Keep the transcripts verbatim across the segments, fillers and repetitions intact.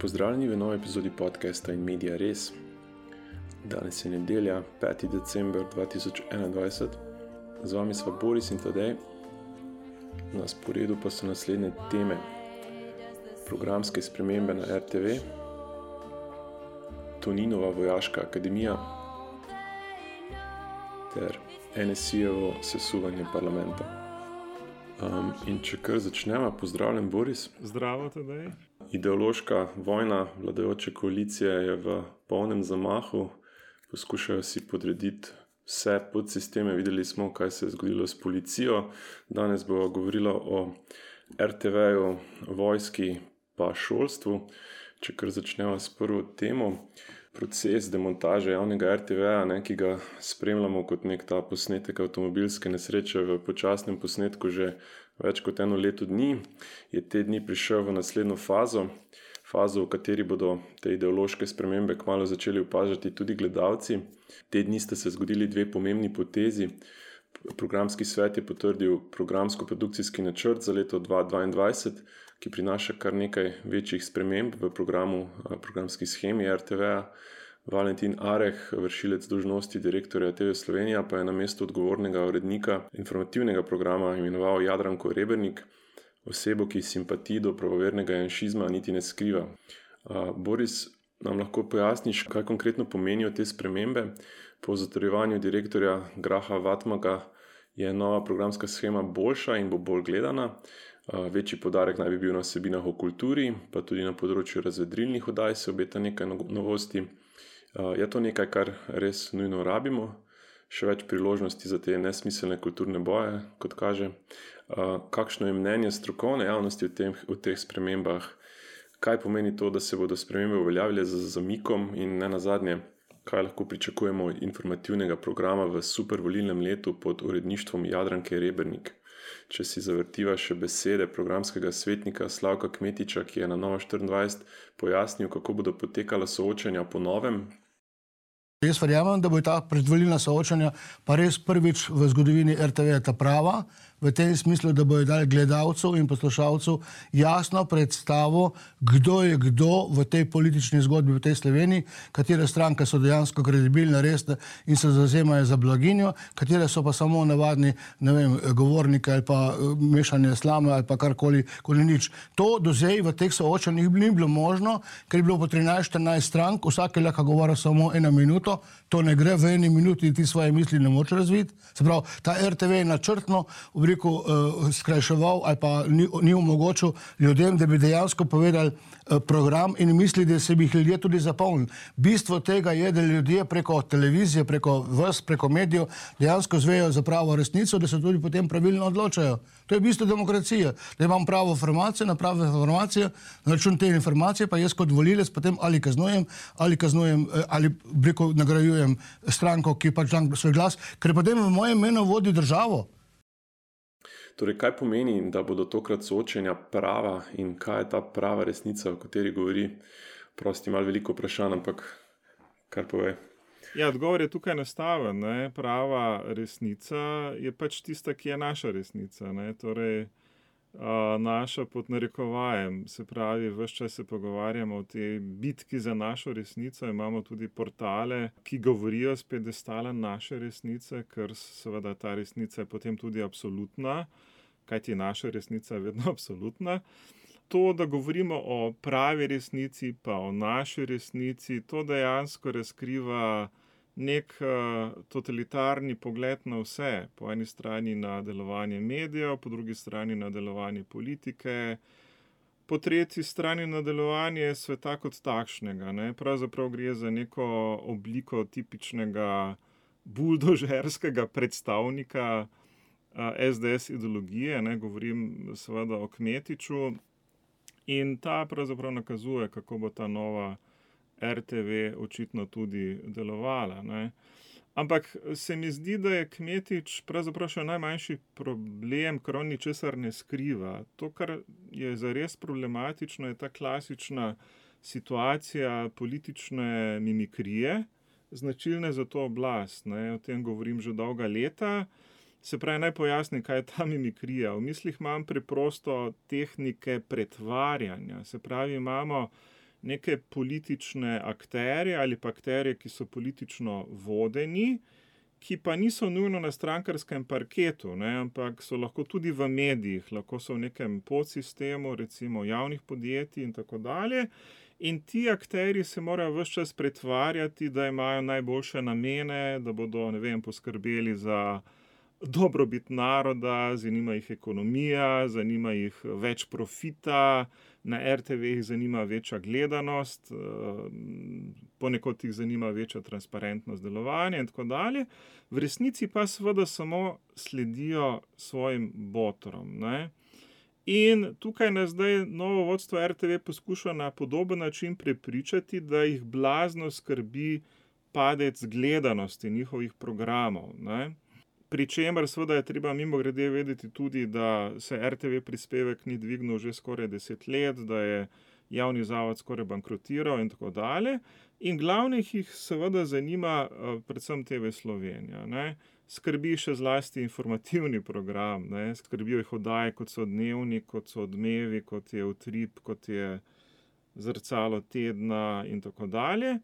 Pozdravljeni v novi epizodi podcasta In Media Res. Danes je nedelja, peti december dva tisoč enaindvajset. Z vami sva Boris in Tadej. Na sporedu pa so naslednje teme: programske spremembe na er te ve, Toninova vojaška akademija ter en es i-jevo sesuvanje parlamenta. Um, in če kar začnemo, pozdravljen Boris. Zdravo, Tadej. Ideološka vojna vladajoče koalicije je v polnem zamahu. Poskušajo si podrediti vse podsisteme. Videli smo, kaj se je zgodilo s policijo. Danes bomo govorili o er te ve-ju, vojski pa šolstvu. Če kar začnemo s prvo temo, proces demontaže javnega er te ve-ja, ne, ki ga spremljamo kot nek ta posnetek avtomobilske nesreče v počasnem posnetku že več kot eno leto dni, je te dni prišel v naslednjo fazo, fazo, v kateri bodo te ideološke spremembe kmalu začeli opažati tudi gledalci. Te dni sta se zgodili dve pomembni potezi. Programski svet je potrdil programsko-produkcijski načrt za leto dva tisoč dvaindvajset, ki prinaša kar nekaj večjih sprememb v programu, programski shemi er te ve-ja. Valentin Areh, vršilec dolžnosti direktorja te ve Slovenija, pa je na mesto odgovornega urednika informativnega programa imenoval Jadranko Rebernik, osebo, ki simpatij do pravovernega janšizma niti ne skriva. Boris, nam lahko pojasniš, kaj konkretno pomenijo te spremembe? Po zatrjevanju direktorja Graha Vatmaga je nova programska shema boljša in bo bolj gledana. Večji poudarek naj bi bil na vsebinah o kulturi, pa tudi na področju razvedrilnih oddaj se obeta nekaj novosti. Je to nekaj, kar res nujno rabimo? Še več priložnosti za te nesmiselne kulturne boje, kot kaže. Kakšno je mnenje strokovne javnosti o, tem, o teh spremembah? Kaj pomeni to, da se bodo spremembe uveljavile z zamikom in ne nazadnje, kaj lahko pričakujemo informativnega programa v supervolilnem letu pod uredništvom Jadranke Rebernik? Če si zavrtiva še besede programskega svetnika Slavka Kmetiča, ki je na Novo štiriindvajset pojasnil, kako bodo potekala soočanja po novem. Jaz verjamem, da bo ta predvolilna soočanja pa res prvič v zgodovini er te ve ta prava, v tem smislu, da bojo dali gledalcev in poslušalcev jasno predstavo, kdo je kdo v tej politični zgodbi v tej Sloveniji, katere stranke so dejansko kredibilne, resne in se zavzemajo za blaginjo, katere so pa samo navadni, ne vem, govorniki ali pa mešanje slame ali pa karkoli, koli nič. To do zdaj v teh soočanjih ni bilo možno, ker je bilo po trinajst štirinajst strank, vsak je lahko govoril samo eno minuto, to ne gre v eni minuti, ti svoje misli ne moče razviti. Se pravi, ta er te ve je načrtno v reku uh, skrajševal ali pa ni, ni omogočil ljudem, da bi dejansko povedali uh, program in misli, da se bi jih ljudje tudi zapolnili. Bistvo tega je, da ljudje preko televizije, preko vas, preko medijev dejansko zvejo za pravo resnico, da se tudi potem pravilno odločajo. To je bistvo demokracije, da imam pravo informacijo, na prave informacije, na račun te informacije pa jaz kot volilec potem ali kaznujem, ali kaznujem, ali preko nagrajujem stranko, ki pač dam svoj glas, ker potem v mojem imenu vodi državo. Torej, kaj pomeni, da bodo tokrat soočenja prava in kaj je ta prava resnica, o kateri govori? Prosti malo veliko vprašanj, ampak kar pove. Ja, odgovor je tukaj enostaven, ne. Prava resnica je pač tista, ki je naša resnica, ne. Torej, a, naša pod narekovajem, se pravi, ves čas se pogovarjamo o tej bitki za našo resnico, imamo tudi portale, ki govorijo s piedestala naše resnice, ker seveda ta resnica je potem tudi absolutna, kajti naša resnica je vedno absolutna. To, da govorimo o pravi resnici, pa o naši resnici, to dejansko razkriva nek uh, totalitarni pogled na vse. Po eni strani na delovanje medijev, po drugi strani na delovanje politike, po tretji strani na delovanje sveta kot takšnega, ne. Pravzaprav gre za neko obliko tipičnega buldožerskega predstavnika uh, es de es ideologije, ne. Govorim seveda o Kmetiču. In ta pravzaprav nakazuje, kako bo ta nova er te ve očitno tudi delovala, ne. Ampak se mi zdi, da je Kmetič pravzaprav še najmanjši problem, ker on ničesar ne skriva. To, kar je zares problematično, je ta klasična situacija politične mimikrije, značilne za to oblast, ne. O tem govorim že dolga leta. Se pravi, naj pojasnim, kaj je ta mimikrija. V mislih imam preprosto tehnike pretvarjanja. Se pravi, imamo neke politične akterje ali pa akterje, ki so politično vodeni, ki pa niso nujno na strankarskem parketu, ne, ampak so lahko tudi v medijih, lahko so v nekem podsistemu, recimo javnih podjetij in tako dalje. In ti akterji se morajo ves čas pretvarjati, da imajo najboljše namene, da bodo, ne vem, poskrbeli za dobrobit naroda, zanima jih ekonomija, zanima jih več profita, na er te ve jih zanima večja gledanost, ponekod jih zanima večja transparentnost delovanja in tako dalje. V resnici pa seveda samo sledijo svojim botrom, ne. In tukaj nas zdaj novo vodstvo er te ve poskuša na podoben način prepričati, da jih blazno skrbi padec gledanosti njihovih programov, ne. Pri čemer seveda je treba mimogrede vedeti tudi, da se er te ve prispevek ni dvignil že skoraj deset let, da je javni zavod skoraj bankrotiral in tako dalje. In glavnih jih seveda zanima predvsem te ve Slovenija, ne. Skrbi še zlasti informativni program, ne. Skrbijo jih oddaje, kot so Dnevnik, kot so Odmevi, kot je Utrip, kot je Zrcalo tedna in tako dalje.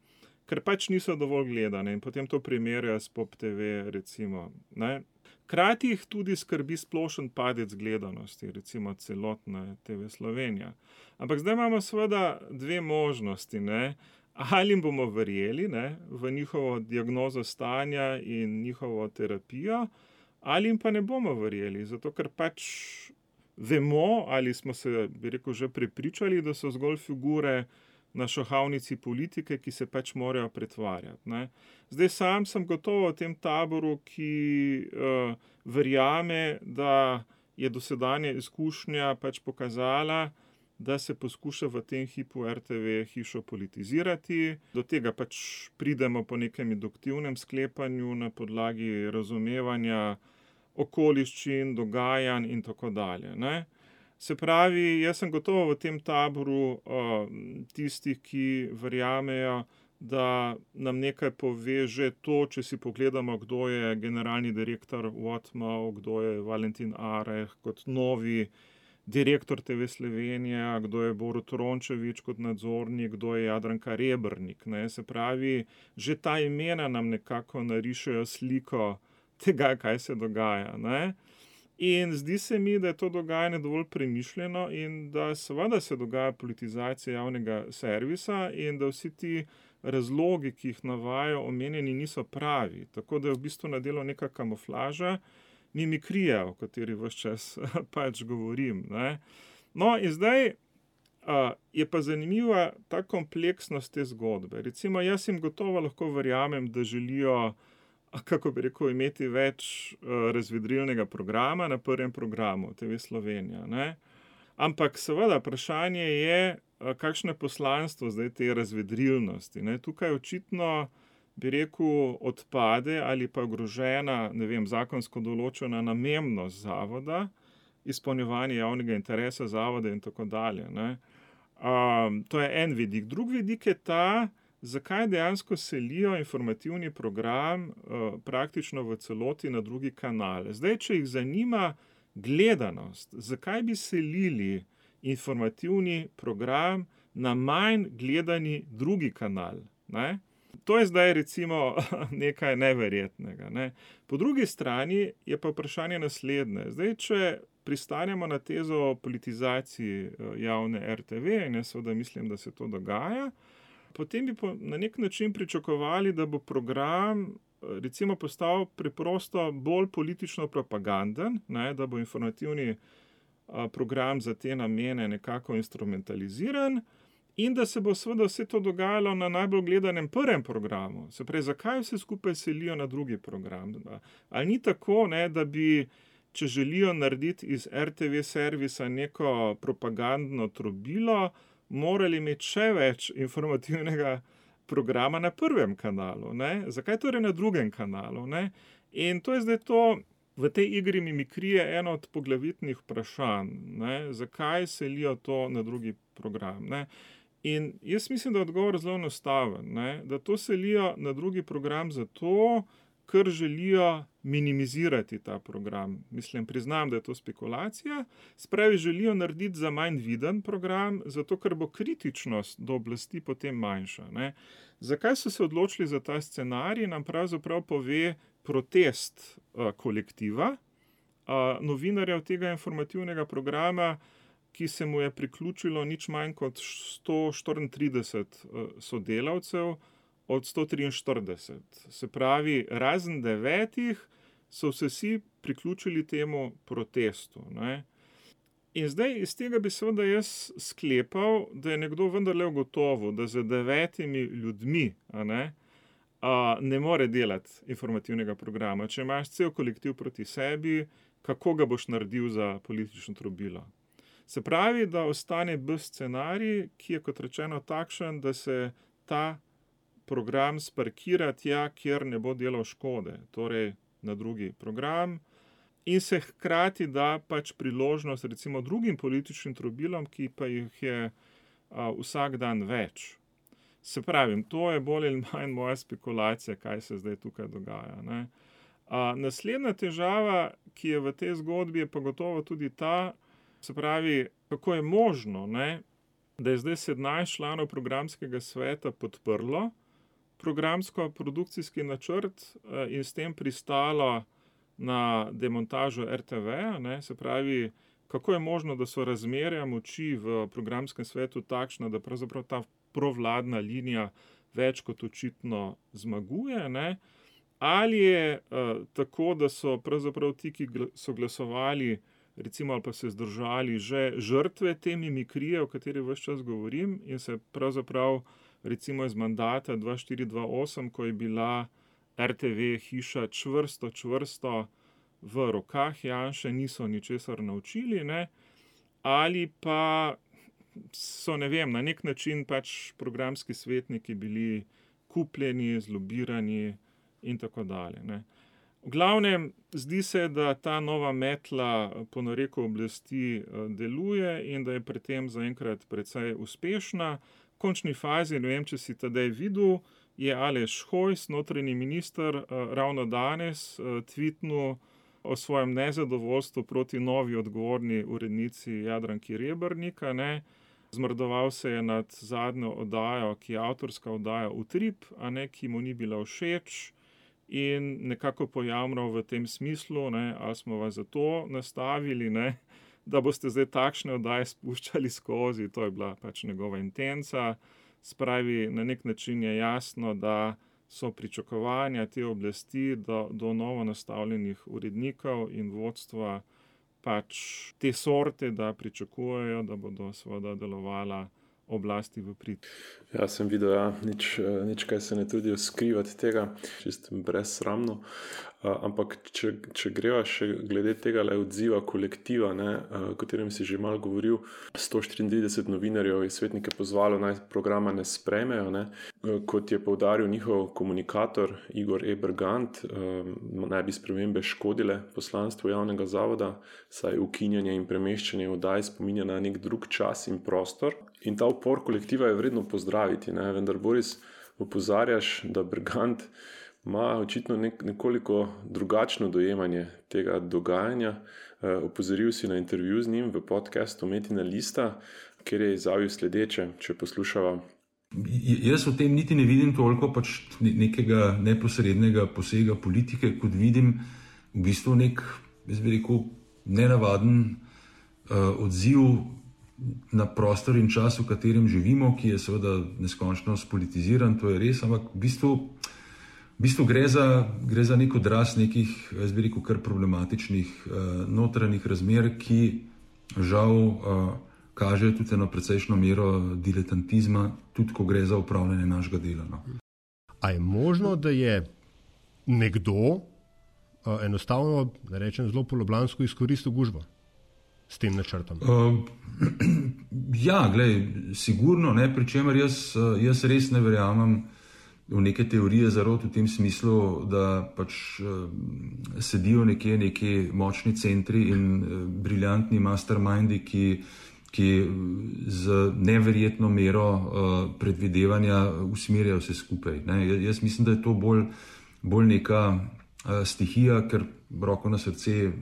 Ker pač niso dovolj gledane in potem to primerjajo s Pop te ve, recimo, ne. Hkrati jih tudi skrbi splošen padec gledanosti, recimo celotne te ve Slovenija. Ampak zdaj imamo seveda dve možnosti, ne. Ali jim bomo verjeli, ne, v njihovo diagnozo stanja in njihovo terapijo, ali jim pa ne bomo verjeli, zato ker pač vemo, ali smo se, bi rekel, že prepričali, da so zgolj figure na šahovnici politike, ki se pač morajo pretvarjati, ne. Zdaj sam sem gotovo v tem taboru, ki uh, verjame, da je dosedanja izkušnja pač pokazala, da se poskuša v tem hipu er te ve hišo politizirati. Do tega pač pridemo po nekem induktivnem sklepanju na podlagi razumevanja okoliščin, dogajanj in tako dalje, ne. Se pravi, jaz sem gotovo v tem taboru uh, tistih, ki verjamejo, da nam nekaj pove že to, če si pogledamo, kdo je generalni direktor Whatmau, kdo je Valentin Areh kot novi direktor te ve Slovenija, kdo je Borut Rončević kot nadzornik, kdo je Jadranka Rebernik, ne. Se pravi, že ta imena nam nekako narišejo sliko tega, kaj se dogaja, ne. In zdi se mi, da je to dogajanje dovolj premišljeno in da seveda se dogaja politizacija javnega servisa in da vsi ti razlogi, ki jih navajajo omenjeni, niso pravi. Tako da je v bistvu na delu neka kamuflaža, mimikrija, o kateri ves čas pač govorim, ne. No, in zdaj uh, je pa zanimiva ta kompleksnost te zgodbe. Recimo, jaz jim gotovo lahko verjamem, da želijo, kako bi rekel, imeti več uh, razvedrilnega programa na prvem programu te ve Slovenija, ne. Ampak seveda vprašanje je, uh, kakšno je poslanstvo zdaj te razvedrilnosti, ne. Tukaj očitno, bi rekel, odpade ali pa ogrožena, ne vem, zakonsko določena namembnost zavoda, izpolnjevanje javnega interesa zavoda in tako dalje, ne. Um, to je en vidik. Drug vidik je ta, zakaj dejansko selijo informativni program uh, praktično v celoti na drugi kanal. Zdaj, če jih zanima gledanost, zakaj bi selili informativni program na manj gledani drugi kanal, ne? To je zdaj recimo nekaj neverjetnega, ne. Po drugi strani je pa vprašanje naslednje. Zdaj, če pristanemo na tezo o politizaciji javne er te ve, in jaz seveda mislim, da se to dogaja, potem bi po, na nek način pričakovali, da bo program recimo postal preprosto bolj politično propaganden, ne, da bo informativni a, program za te namene nekako instrumentaliziran, in da se bo seveda vse to dogajalo na najbolj gledanem prvem programu. Se pravi, zakaj vse skupaj selijo na drugi program? Ali ni tako, ne, da bi, če želijo narediti iz er te ve servisa neko propagandno trobilo, morali imeti še več informativnega programa na prvem kanalu, ne? Zakaj torej na drugem kanalu, ne? In to je zdaj to, v tej igri mimikrije eno od poglavitnih vprašanj, ne? Zakaj selijo to na drugi program, ne? In jaz mislim, da je odgovor zelo enostaven, ne? Da to selijo na drugi program zato, ker želijo minimizirati ta program. Mislim, priznam, da je to spekulacija. Spravi, želijo narediti za manj viden program, zato ker bo kritičnost do oblasti potem manjša. Ne? Zakaj so se odločili za ta scenarij, nam pravzaprav pove protest uh, kolektiva, uh, novinarjev tega informativnega programa, ki se mu je priključilo nič manj kot sto štiriintrideset uh, sodelavcev, od sto triinštirideset. Se pravi, razen devetih so se vsi priključili temu protestu. Ne? In zdaj iz tega bi seveda jaz sklepal, da je nekdo vendarle ugotovil, da z devetimi ljudmi a ne, a, ne more delati informativnega programa. Če imaš cel kolektiv proti sebi, kako ga boš naredil za politično trobilo? Se pravi, da ostane B scenarij, ki je kot rečeno takšen, da se ta program sparkira tja, kjer ne bo delal škode, torej na drugi program, in se hkrati da pač priložnost recimo drugim političnim trobilom, ki pa jih je a, vsak dan več. Se pravim, to je bolj ali manj moja spekulacija, kaj se zdaj tukaj dogaja. Ne? A, naslednja težava, ki je v tej zgodbi, je pa gotovo tudi ta, se pravi, kako je možno, ne, da je zdaj sedemnajst članov programskega sveta podprlo programsko-produkcijski načrt in s tem pristalo na demontažo R T V-ja, ne, se pravi, kako je možno, da so razmerja moči v programskem svetu takšna, da pravzaprav ta provladna linija več kot očitno zmaguje, ne, ali je uh, tako, da so pravzaprav ti, ki so glasovali, recimo ali pa se zdržali, že žrtve te mimikrije, o kateri ves čas govorim, in se pravzaprav recimo iz mandata dva štiri dva osem, ko je bila R T V hiša čvrsto, čvrsto v rokah Janše, niso ničesar naučili, ne? Ali pa so, ne vem, na nek način pač programski svetniki bili kupljeni, zlobirani in tako dalje. Ne? V glavnem, zdi se, da ta nova metla po nareku oblasti deluje in da je pri tem zaenkrat precej uspešna. V končni fazi, ne vem, če si tedaj videl, je Aleš Hojs, notranji minister, ravno danes tweetnul o svojem nezadovoljstvu proti novi odgovorni urednici Jadranki Rebernik, ne. Zmrdoval se je nad zadnjo oddajo, ki je avtorska oddaja Utrip, a ne, ki mu ni bila všeč, in nekako pojamral v tem smislu, ne, ali smo vas zato nastavili, ne, da boste zdaj takšne oddaje spuščali skozi, to je bila pač njegova intenca. Spravi, na nek način je jasno, da so pričakovanja te oblasti do, do novo nastavljenih urednikov in vodstva pač te sorte, da pričakujejo, da bodo seveda delovala oblasti v prid. Ja, sem videl, ja, nič, nič kaj se ne trudijo skrivati tega, čisto brezsramno. Uh, ampak, če, če greva še glede tega le odziva kolektiva, ne, uh, o katerem si že malo govoril, sto štiriintrideset novinarjev je svetnike pozvalo, naj programa ne sprejmejo, ne. Uh, kot je poudaril njihov komunikator Igor E. Bergant, uh, naj bi spremembe škodile poslanstvu javnega zavoda, saj ukinjanje in premeščanje oddaj spominja na nek drug čas in prostor. In ta upor kolektiva je vredno pozdraviti, ne. Vendar, Boris, opozarjaš, da Bergant ima očitno nek, nekoliko drugačno dojemanje tega dogajanja. E, opozoril si na intervju z njim v podcastu Metina lista, kjer je izjavil sledeče, če poslušava. Jaz v tem niti ne vidim toliko pač nekega neposrednega posega politike, kot vidim v bistvu nek, jaz bi rekel, nenavaden uh, odziv na prostor in čas, v katerem živimo, ki je seveda neskončno spolitiziran, to je res, ampak v bistvu V bistvu gre za, gre za nek odraz nekih, jaz bi rekel, kar problematičnih uh, notranjih razmer, ki žal uh, kažejo tudi eno precejšno mero diletantizma, tudi ko gre za upravljanje našega dela. No. A je možno, da je nekdo uh, enostavno, da rečem zelo poloblansko, izkoristil gužvo s tem načrtom? Uh, ja, glej, sigurno, ne, pri čemer jaz, jaz res ne verjamem v neke teorije zarot v tem smislu, da pač uh, sedijo nekje neki močni centri in uh, briljantni mastermindi, ki, ki z neverjetno mero uh, predvidevanja usmerjajo vse skupaj. Ne? Jaz mislim, da je to bolj bolj neka uh, stihija, ker roko na srce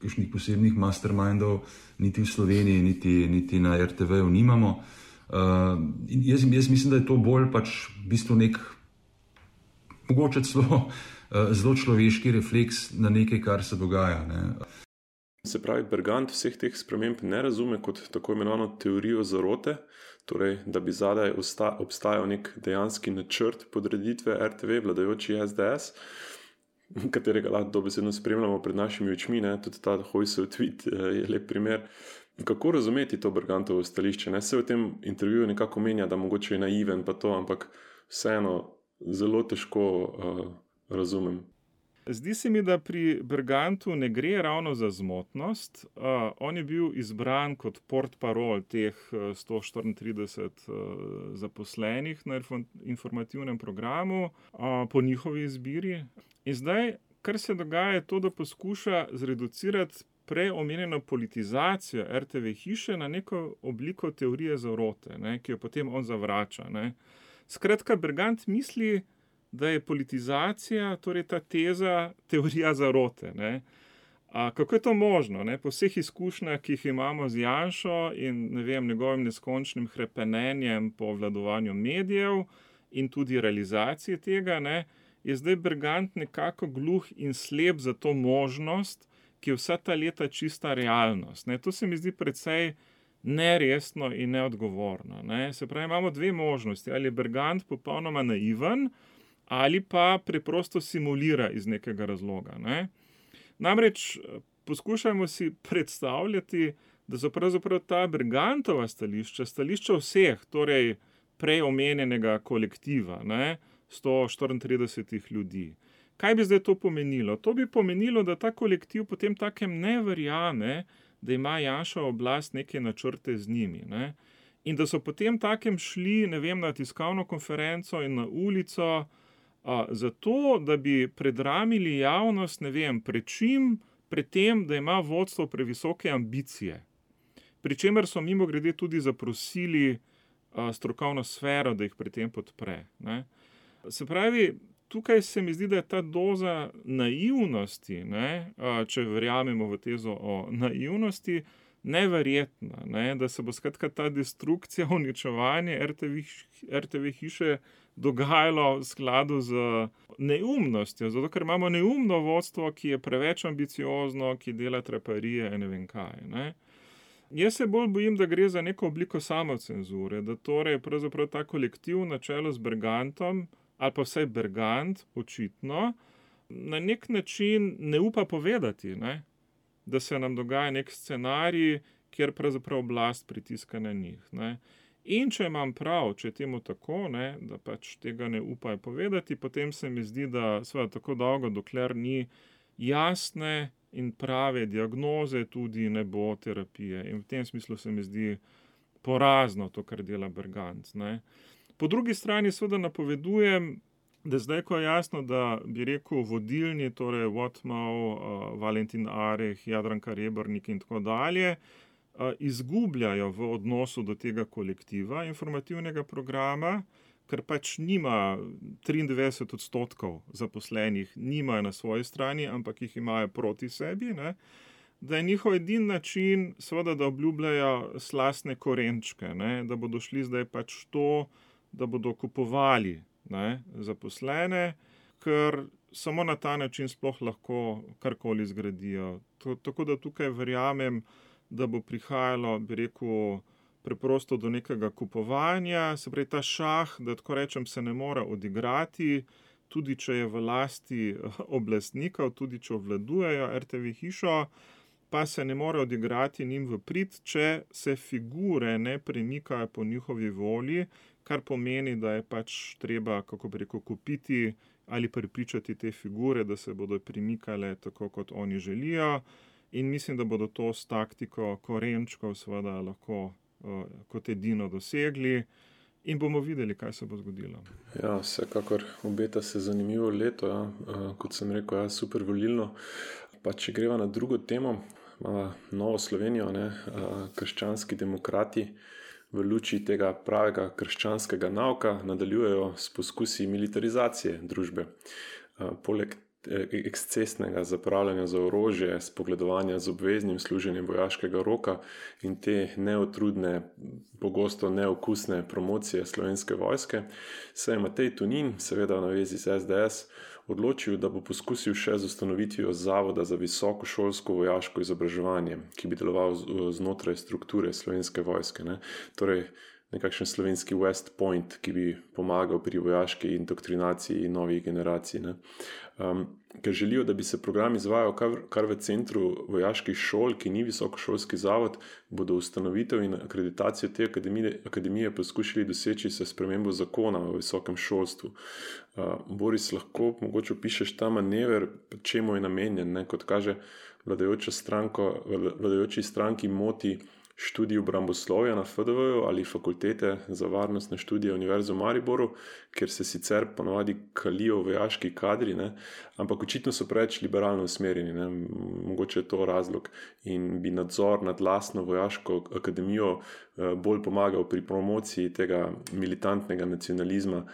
kakšnih posebnih mastermindov niti v Sloveniji, niti, niti na er te ve-ju nimamo. Uh, jaz, jaz mislim, da je to bolj pač v bistvu nek mogoče celo uh, zelo človeški refleks na nekaj, kar se dogaja. Ne. Se pravi, Bergant vseh teh sprememb ne razume kot tako imenovano teorijo zarote, torej, da bi zadaj obstajal nek dejanski načrt podreditve er te ve vladajoči es de es, katerega lahko dobesedno spremljamo pred našimi očmi, ne? Tudi ta Hojsov tweet je lep primer. Kako razumeti to Bergantovo stališče? Ne? Se v tem intervjuju nekako menja, da mogoče je naiven pa to, ampak vseeno zelo težko uh, razumem. Zdi se mi, da pri Bergantu ne gre ravno za zmotnost. Uh, on je bil izbran kot portparol teh sto štiriintrideset uh, zaposlenih na informativnem programu uh, po njihovi izbiri. In zdaj, kar se dogaja, je to, da poskuša zreducirati prej omenjeno politizacijo er te ve hiše na neko obliko teorije zarote, ne, ki jo potem on zavrača. Ne. Skratka, Bergant misli, da je politizacija, torej ta teza, teorija zarote. Ne. A kako je to možno? Ne? Po vseh izkušnjah, ki jih imamo z Janšo in ne vem, njegovim neskončnim hrepenenjem po vladovanju medijev in tudi realizaciji tega, ne, je zdaj Bergant nekako gluh in slep za to možnost, ki je vsa ta leta čista realnost. Ne. To se mi zdi precej neresno in neodgovorno. Ne. Se pravi, imamo dve možnosti. Ali je Bergant popolnoma naiven, ali pa preprosto simulira iz nekega razloga. Ne. Namreč poskušajmo si predstavljati, da so pravzaprav ta Bergantova stališča, stališča vseh, torej prej omenjenega kolektiva, ne, sto štiriintrideset ljudi. Kaj bi zdaj to pomenilo? To bi pomenilo, da ta kolektiv potem takem ne verjame, da ima Janševa oblast neke načrte z njimi. Ne? In da so potem takem šli, ne vem, na tiskovno konferenco in na ulico, a, zato, da bi predramili javnost, ne vem, pred čim, pred tem, da ima vodstvo previsoke ambicije. Pričemer so mimogrede tudi zaprosili a, strokovno sfero, da jih pri tem podpre. Ne? Se pravi, tukaj se mi zdi, da je ta doza naivnosti, ne, če verjamemo v tezo o naivnosti, neverjetna, ne, da se bo skratka ta destrukcija, uničevanje er te ve hiše dogajalo v skladu z neumnostjo, zato ker imamo neumno vodstvo, ki je preveč ambiciozno, ki dela traparije in ne vem kaj. Ne. Jaz se bolj bojim, da gre za neko obliko samocenzure, da torej pravzaprav ta kolektiv na čelu z Bergantom, ali pa vsaj Bergant, očitno, na nek način ne upa povedati, ne? Da se nam dogaja nek scenarij, kjer pravzaprav oblast pritiska na njih. Ne? In če imam prav, če je temu tako, ne, da pač tega ne upajo povedati, potem se mi zdi, da seveda tako dolgo, dokler ni jasne in prave diagnoze, tudi ne bo terapije. In v tem smislu se mi zdi porazno to, kar dela Bergant. Ne? Po drugi strani seveda napovedujem, da zdaj, ko je jasno, da bi rekel vodilni, torej Wotmov, uh, Valentin Areh, Jadranka Rebernik in tako dalje, uh, izgubljajo v odnosu do tega kolektiva informativnega programa, ker pač nima triindvajset odstotkov zaposlenih, nimajo na svoji strani, ampak jih imajo proti sebi, ne? Da je njihov edini način, seveda, da obljubljajo slastne korenčke, ne? Da bodo šli zdaj pač to, da bodo kupovali, ne, zaposlene, ker samo na ta način sploh lahko karkoli zgradijo. To, tako da tukaj verjamem, da bo prihajalo, bi rekel, preprosto do nekega kupovanja, se pravi ta šah, da tako rečem, se ne mora odigrati, tudi če je v lasti oblastnikov, tudi če obvladujejo er te ve hišo, pa se ne more odigrati njim v prid, če se figure ne premikajo po njihovi volji, kar pomeni, da je pač treba, kako bi rekel, kupiti ali prepričati te figure, da se bodo premikale tako, kot oni želijo. In mislim, da bodo to s taktiko korenčkov seveda lahko uh, kot edino dosegli. In bomo videli, kaj se bo zgodilo. Ja, vsekakor obeta se zanimivo leto, ja. uh, kot sem rekel, ja, super volilno. Pa če greva na drugo temo, uh, Novo Slovenijo, ne, uh, krščanski demokrati, v luči tega pravega krščanskega nauka nadaljujejo s poskusi militarizacije družbe. Poleg ekscesnega zapravljanja za orožje, spogledovanja z obveznim služenjem vojaškega roka in te neutrudne, pogosto neokusne promocije Slovenske vojske, se je Matej Tonin, seveda v navezi z es de es, odločil, da bo poskusil še z ustanovitvijo Zavoda za visokošolsko vojaško izobraževanje, ki bi deloval znotraj strukture Slovenske vojske. Ne? Torej, nekakšen slovenski West Point, ki bi pomagal pri vojaški indoktrinaciji novih generacij. Ne? Um, ker želijo, da bi se program izvajal kar, kar v centru vojaških šol, ki ni visokošolski zavod, bodo ustanovitev in akreditacijo te akademije, akademije poskušali doseči se spremembo zakona o visokem šolstvu. Uh, Boris, lahko mogoče opišeš ta manever, čemu je namenjen, ne? Kot kaže vladajoča stranko, vladajoči stranki moti študij obramboslovja na F D V-ju ali fakultete za varnostne študije Univerze v Mariboru, kjer se sicer ponovadi kalijo vojaški kadri, ne? Ampak očitno so preveč liberalno usmerjeni, ne? Mogoče je to razlog in bi nadzor nad lastno vojaško akademijo bolj pomagal pri promociji tega militantnega nacionalizma,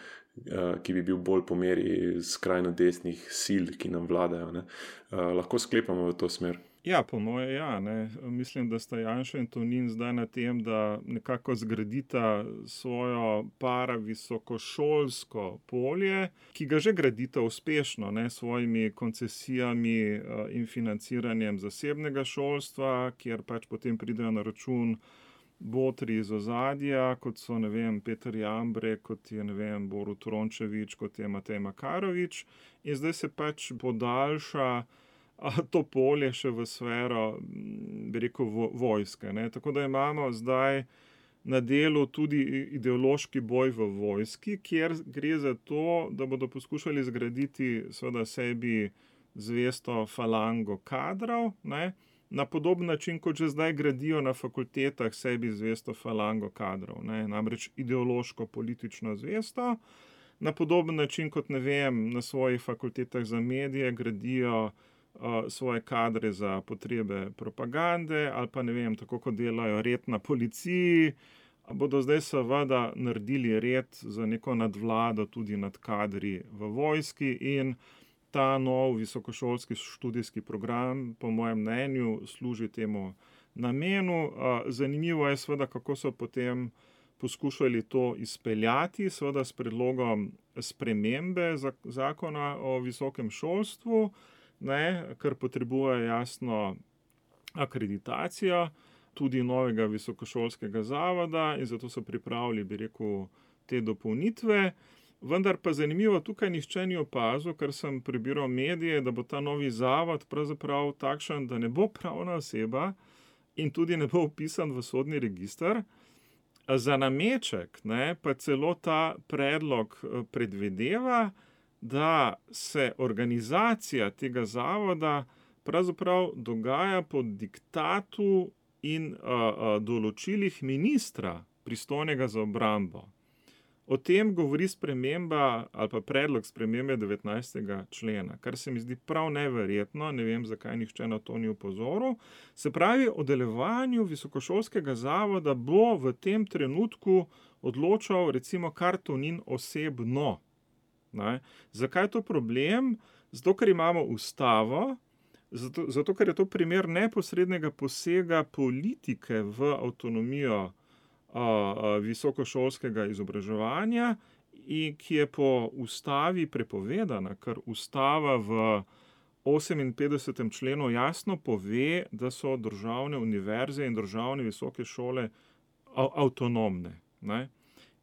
ki bi bil bolj po meri skrajno desnih sil, ki nam vladajo. Ne? Lahko sklepamo v to smer. Ja, po moje ja. Ne. Mislim, da sta Janša in Tonin zdaj na tem, da nekako zgradita svojo paravisokošolsko polje, ki ga že gradita uspešno, ne, s svojimi koncesijami in financiranjem zasebnega šolstva, kjer pač potem pridejo na račun botri iz ozadja, kot so, ne vem, Peter Jambrek, kot je, ne vem, Borut Rončević, kot je Matej Makarovič, in zdaj se pač podaljša to polje še v sfero, bi rekel, vojske. Ne. Tako da imamo zdaj na delu tudi ideološki boj v vojski, kjer gre za to, da bodo poskušali zgraditi seveda sebi zvesto falango kadrov, ne, na podoben način, kot že zdaj gradijo na fakultetah sebi zvesto falango kadrov. Ne. Namreč ideološko politično zvesto, na podoben način, kot, ne vem, na svojih fakultetah za medije gradijo svoje kadre za potrebe propagande ali pa, ne vem, tako kot delajo red na policiji, bodo zdaj seveda naredili red za neko nadvlado tudi nad kadri v vojski in ta nov visokošolski študijski program, po mojem mnenju, služi temu namenu. Zanimivo je seveda, kako so potem poskušali to izpeljati, seveda s predlogom spremembe zakona o visokem šolstvu, ne, ker potrebuje jasno akreditacijo tudi novega visokošolskega zavoda in zato so pripravili, bi rekel, te dopolnitve. Vendar pa zanimivo, tukaj nihče ni opazil, ker sem prebiral medije, da bo ta novi zavod pravzaprav takšen, da ne bo pravna oseba in tudi ne bo vpisan v sodni register. Za nameček, ne, pa celo ta predlog predvideva, da se organizacija tega zavoda pravzaprav dogaja pod diktatu in a, a, določilih ministra, pristojnega za obrambo. O tem govori sprememba ali pa predlog spremembe devetnajstega člena, kar se mi zdi prav neverjetno, ne vem, zakaj nihče na to ni opozoril. Se pravi, o delovanju visokošolskega zavoda bo v tem trenutku odločal recimo kar Tonin osebno. Ne? Zakaj je to problem? Zato, ker imamo ustavo, zato, zato, ker je to primer neposrednega posega politike v avtonomijo a, a, visokošolskega izobraževanja, in ki je po ustavi prepovedana, ker ustava v oseminpetdesetem členu jasno pove, da so državne univerze in državne visoke šole a, avtonomne. Ne?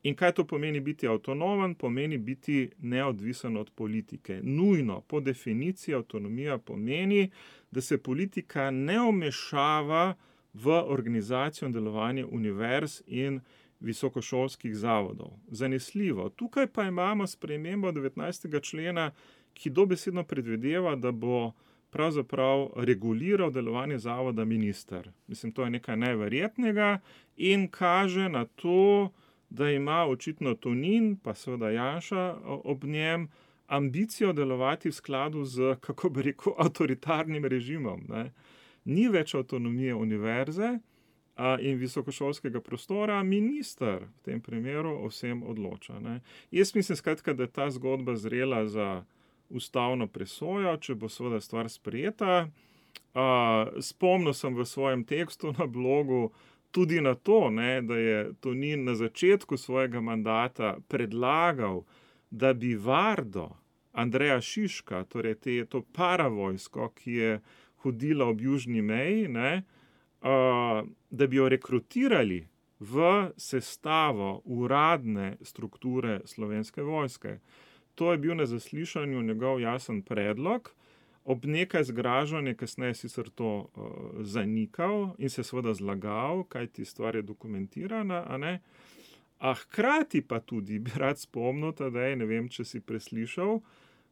In kaj to pomeni biti avtonomen? Pomeni biti neodvisen od politike. Nujno, po definiciji avtonomija pomeni, da se politika ne vmešava v organizacijo in delovanje univerz in visokošolskih zavodov. Zanesljivo. Tukaj pa imamo spremembo devetnajstega člena, ki dobesedno predvideva, da bo pravzaprav reguliral delovanje zavoda minister. Mislim, to je nekaj neverjetnega in kaže na to, da ima očitno Tonin, pa seveda Janša ob njem, ambicijo delovati v skladu z, kako bi rekel, avtoritarnim režimom. Ne. Ni več avtonomije univerze a, in visokošolskega prostora, minister v tem primeru o vsem odloča. Ne. Jaz mislim skratka, da je ta zgodba zrela za ustavno presojo, če bo seveda stvar sprejeta. Uh, spomnil sem v svojem tekstu na blogu tudi na to, ne, da je Tonin na začetku svojega mandata predlagal, da bi Vardo Andreja Šiška, torej te, to paravojsko, ki je hodila ob južni meji, ne, uh, da bi jo rekrutirali v sestavo uradne strukture Slovenske vojske. To je bil na zaslišanju njegov jasen predlog. Ob nekaj zgražanja kasneje sicer to uh, zanikal in se seveda zlagal, kajti stvar je dokumentirana, a ne. A hkrati pa tudi bi rad spomnil, tadej, ne vem, če si preslišal,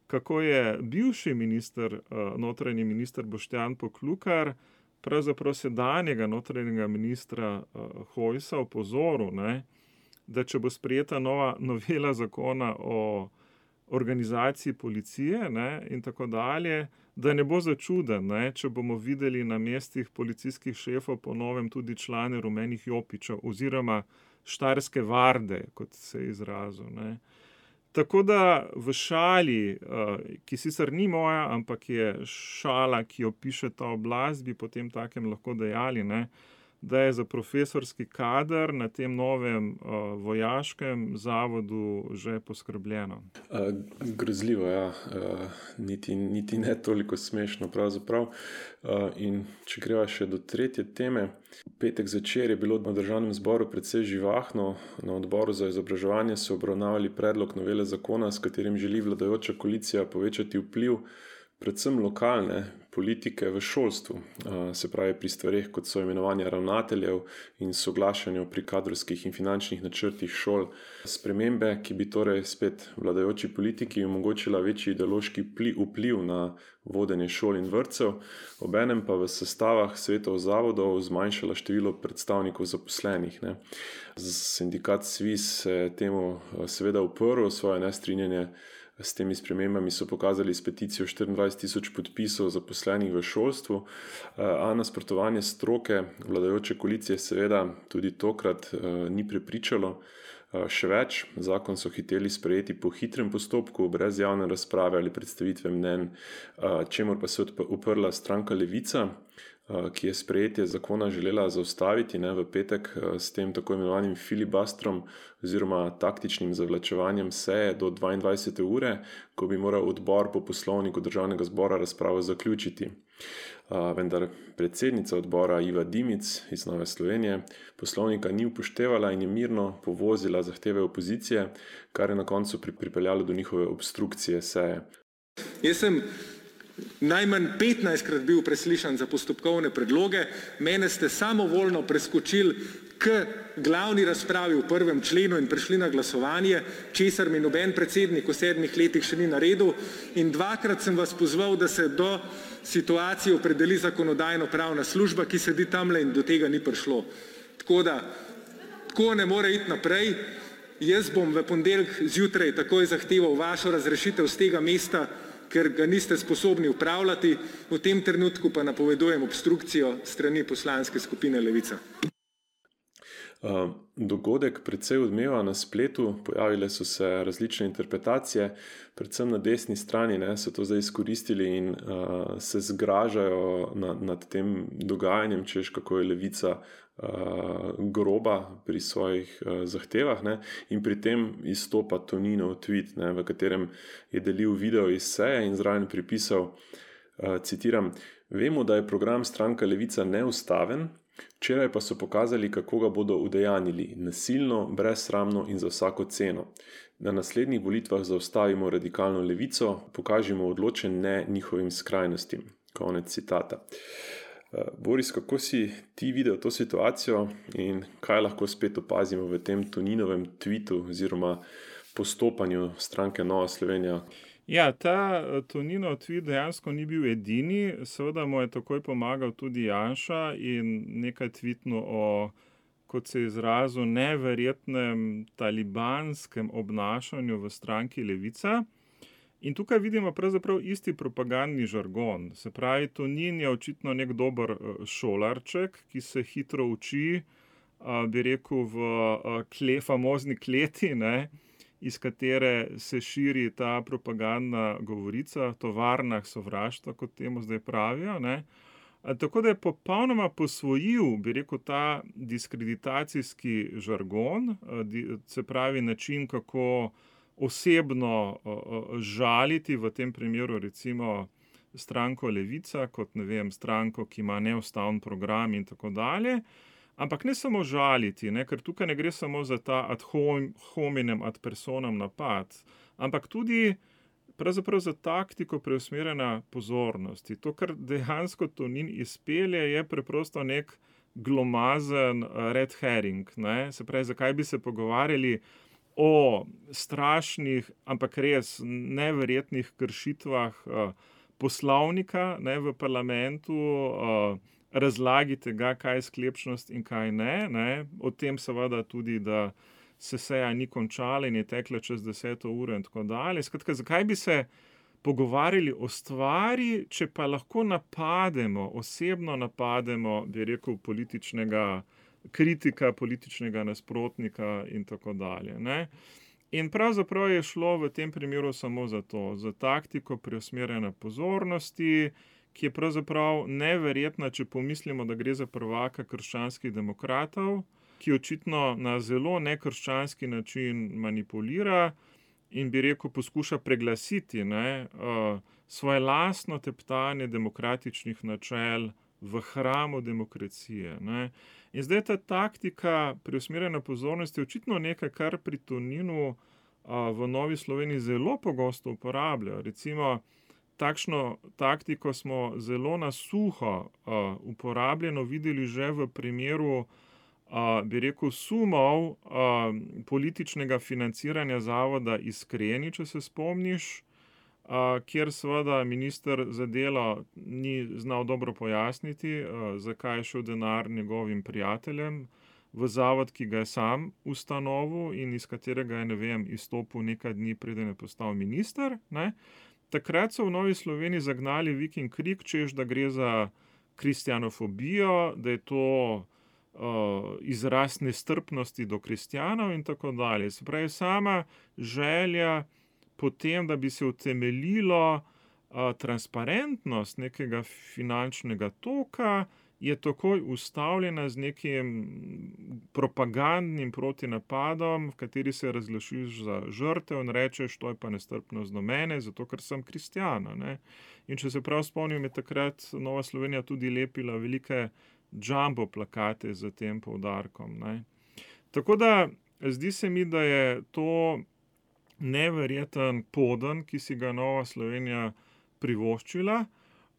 kako je bivši minister, uh, notranji minister Boštjan Poklukar, pravzaprav sedanjega notranjega ministra uh, Hojsa opozoril, ne, da če bo sprejeta nova novela zakona o organizaciji policije, ne, in tako dalje, da ne bo začuden, ne, če bomo videli na mestih policijskih šefov po novem tudi člane rumenih jopičev oziroma štajerske varde, kot se je izrazil. Ne. Tako da v šali, ki sicer ni moja, ampak je šala, ki jo piše ta oblast, bi potem takem lahko dejali, ne, da je za profesorski kader na tem novem uh, vojaškem zavodu že poskrbljeno. Uh, grozljivo, ja. Uh, niti, niti ne toliko smešno pravzaprav. Uh, in če greva še do tretje teme, v petek zvečer je bilo v Državnem zboru precej živahno. Na odboru za izobraževanje so obravnavali predlog novele zakona, s katerim želi vladajoča koalicija povečati vpliv predvsem lokalne politike v šolstvu, se pravi pri stvareh, kot so imenovanje ravnateljev in soglašanje pri kadrovskih in finančnih načrtih šol. Spremembe, ki bi torej spet vladajoči politiki omogočila večji ideološki vpliv na vodenje šol in vrtcev, obenem pa v sestavah svetov zavodov zmanjšala število predstavnikov zaposlenih. Ne. Sindikat SVIZ se je temu seveda uprl, svoje nestrinjanje s temi spremembami so pokazali s peticijo štiriindvajset tisoč podpisov zaposlenih v šolstvu, a nasprotovanje stroke vladajoče koalicije seveda tudi tokrat ni prepričalo. Še več, zakon so hiteli sprejeti po hitrem postopku, brez javne razprave ali predstavitve mnenj, čemur pa se je uprla stranka Levica, ki je sprejetje zakona želela zaustaviti, ne, v petek s tem tako imenovanim filibastrom oziroma taktičnim zavlačevanjem seje do dvaindvajsete ure, ko bi moral odbor po poslovniku Državnega zbora razpravo zaključiti. Vendar predsednica odbora Iva Dimic iz Nove Slovenije poslovnika ni upoštevala in je mirno povozila zahteve opozicije, kar je na koncu pripeljalo do njihove obstrukcije seje. Jaz sem najmanj petnajstkrat bil preslišan za postopkovne predloge, mene ste samovoljno preskočili k glavni razpravi v prvem členu in prišli na glasovanje, česar mi noben predsednik v sedmih letih še ni naredil, in dvakrat sem vas pozval, da se do situacije opredeli zakonodajno-pravna služba, ki sedi tamle, in do tega ni prišlo. Tako da, tako ne more iti naprej. Jaz bom v ponedeljek zjutraj takoj zahteval vašo razrešitev z tega mesta, ker ga niste sposobni upravljati, v tem trenutku pa napovedujem obstrukcijo strani poslanske skupine Levica. Uh, dogodek precej odmeva na spletu, pojavile so se različne interpretacije, predvsem na desni strani, ne, so to zdaj izkoristili in uh, se zgražajo nad, nad tem dogajanjem, češ kako je Levica uh, groba pri svojih uh, zahtevah, ne, in pri tem izstopa Toninov tweet, ne, v katerem je delil video iz seje in zraven pripisal, uh, citiram, vemo, da je program stranka Levica neustaven, včeraj pa so pokazali, kako ga bodo udejanili, nasilno, brezsramno in za vsako ceno. Na naslednjih volitvah zaustavimo radikalno levico, pokažimo odločen ne njihovim skrajnostim. Konec citata. Boris, kako si ti videl to situacijo in kaj lahko spet opazimo v tem Toninovem tweetu oziroma postopanju stranke Nova Slovenija? Ja, ta Toninov tweet dejansko ni bil edini, seveda mu je takoj pomagal tudi Janša in nekaj tweetno o, kot se je izrazil, neverjetnem talibanskem obnašanju v stranki Levica. In tukaj vidimo pravzaprav isti propagandni žargon. Se pravi, Tonin je očitno nek dober šolarček, ki se hitro uči, bi rekel, v kle, famozni kleti, ne? iz katere se širi ta propagandna govorica, tovarna sovraštva, kot temu zdaj pravijo, ne. Tako da je popolnoma posvojil, bi rekel, ta diskreditacijski žargon, se pravi način, kako osebno žaliti, v tem primeru recimo stranko Levica, kot ne vem, stranko, ki ima neustaven program in tako dalje. Ampak ne samo žaliti, ne, ker tukaj ne gre samo za ta ad hominem, ad personam napad, ampak tudi pravzaprav za taktiko preusmerjanja pozornosti. To, kar dejansko Tonin izpelje, je preprosto nek glomazen red herring, ne. Se pravi, zakaj bi se pogovarjali o strašnih, ampak res neverjetnih kršitvah poslovnika, ne, v parlamentu, razlagi tega, kaj je sklepčnost in kaj ne, ne. O tem seveda tudi, da se seja ni končala in je tekla čez deseto uro in tako dalje. Skratka, zakaj bi se pogovarjali o stvari, če pa lahko napademo, osebno napademo, bi rekel, političnega kritika, političnega nasprotnika in tako dalje, ne. In pravzaprav je šlo v tem primeru samo za to, za taktiko preusmerjanja pozornosti, ki je pravzaprav neverjetna, če pomislimo, da gre za prvaka krščanskih demokratov, ki očitno na zelo nekrščanski način manipulira in bi rekel, poskuša preglasiti, ne, svoje lastno teptanje demokratičnih načel v hramu demokracije, ne. In zdaj ta taktika preusmerjanja pozornosti je očitno nekaj, kar pri Toninu v Novi Sloveniji zelo pogosto uporabljajo. Recimo, takšno taktiko smo zelo na suho uporabljeno videli že v primeru, bi rekel, sumov političnega financiranja zavoda Iskreni, če se spomniš, kjer seveda minister za delo ni znal dobro pojasniti, zakaj je šel denar njegovim prijateljem v zavod, ki ga je sam ustanovil in iz katerega je, ne vem, izstopil nekaj dni, preden je postal minister, ne. Takrat so v Novi Sloveniji zagnali vik in krik, češ, da gre za kristjanofobijo, da je to uh, izraz nestrpnosti do kristjanov in tako dalje. Se pravi, sama želja potem, da bi se utemeljilo uh, transparentnost nekega finančnega toka, je takoj ustavljena z nekim propagandnim protinapadom, v kateri se razglašiš za žrtev in rečeš, to je pa nestrpnost do mene, zato ker sem kristjana, ne. In če se prav spomnim, je takrat Nova Slovenija tudi lepila velike jumbo plakate z tem poudarkom, ne. Tako da zdi se mi, da je to neverjeten poden, ki si ga Nova Slovenija privoščila.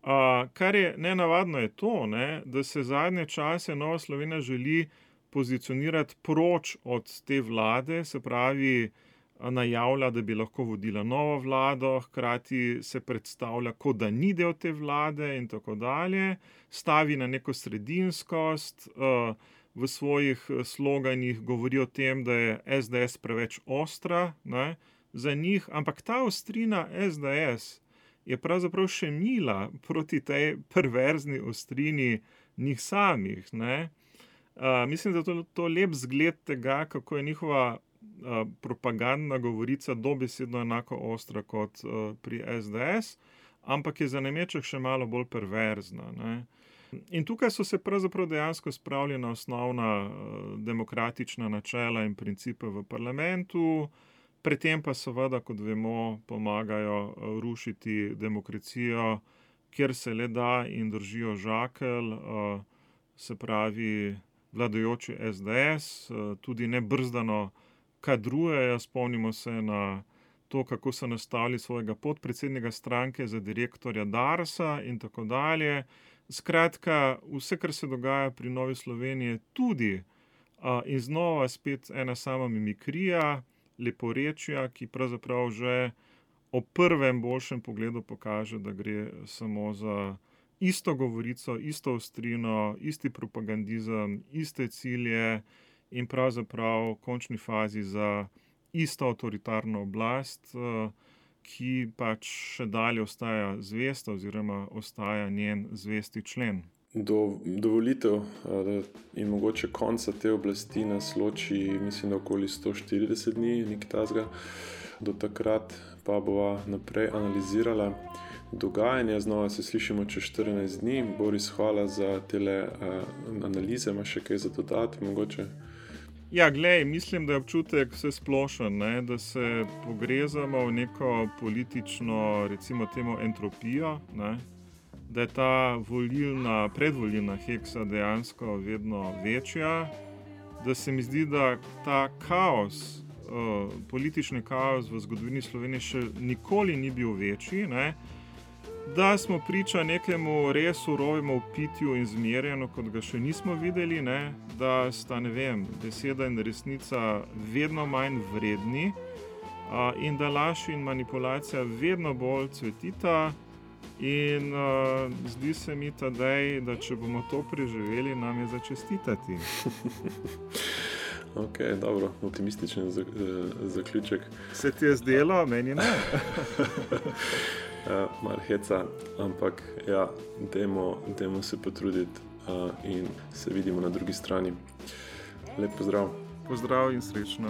Uh, kar je nenavadno je to, ne, da se zadnje čase Nova Slovenija želi pozicionirati proč od te vlade, se pravi, najavlja, da bi lahko vodila novo vlado, hkrati se predstavlja, kot da ni del te vlade in tako dalje, stavi na neko sredinskost, uh, v svojih sloganih govori o tem, da je es de es preveč ostra, ne, za njih, ampak ta ostrina es de es je pravzaprav še mila proti tej perverzni ostrini njih samih, ne. Uh, mislim, da je to, to lep zgled tega, kako je njihova uh, propagandna govorica dobesedno enako ostra kot uh, pri es de es, ampak je za nameček še malo bolj perverzna, ne. In tukaj so se pravzaprav dejansko spravili na osnovna uh, demokratična načela in principe v parlamentu, pri tem pa seveda, kot vemo, pomagajo rušiti demokracijo, kjer se le da in držijo žakelj, se pravi vladajoči es de es, tudi nebrzdano kadrujejo, spomnimo se na to, kako so nastavili svojega podpredsednika stranke za direktorja Darsa in tako dalje. Skratka, vse, kar se dogaja pri Novi Sloveniji, je tudi in znova spet ena sama mimikrija, leporečja, ki pravzaprav že ob prvem boljšem pogledu pokaže, da gre samo za isto govorico, isto ostrino, isti propagandizem, iste cilje in pravzaprav v končni fazi za isto avtoritarno oblast, ki pač še dalje ostaja zvesta oziroma ostaja njen zvesti člen. do, do volitev in mogoče konca te oblasti nas loči, mislim, da okoli sto štirideset dni, nekaj tasga. Do takrat pa bova naprej analizirala dogajanje. Znova se slišimo čez štirinajst dni. Boris, hvala za tele uh, analize. Imaš še kaj za dodati mogoče? Ja, glej, mislim, da je občutek vse splošen, ne? Da se pogrezamo v neko politično, recimo temu, entropijo, ne? Da je ta volilna, predvolilna heksa dejansko vedno večja, da se mi zdi, da ta kaos, uh, politični kaos v zgodovini Slovenije še nikoli ni bil večji, ne? Da smo priča nekemu res surovemu pitju in zmerjanju, kot ga še nismo videli, ne? Da sta, ne vem, beseda in resnica vedno manj vredni uh, in da laž in manipulacija vedno bolj cvetita. In uh, zdi se mi tadej, da če bomo to preživeli, nam je za čestitati. Ok, dobro, optimističen zaključek. Se ti je zdelo? Meni ne. uh, Mar heca, ampak ja, dajmo, dajmo se potruditi uh, in se vidimo na drugi strani. Lep pozdrav. Pozdrav in srečno.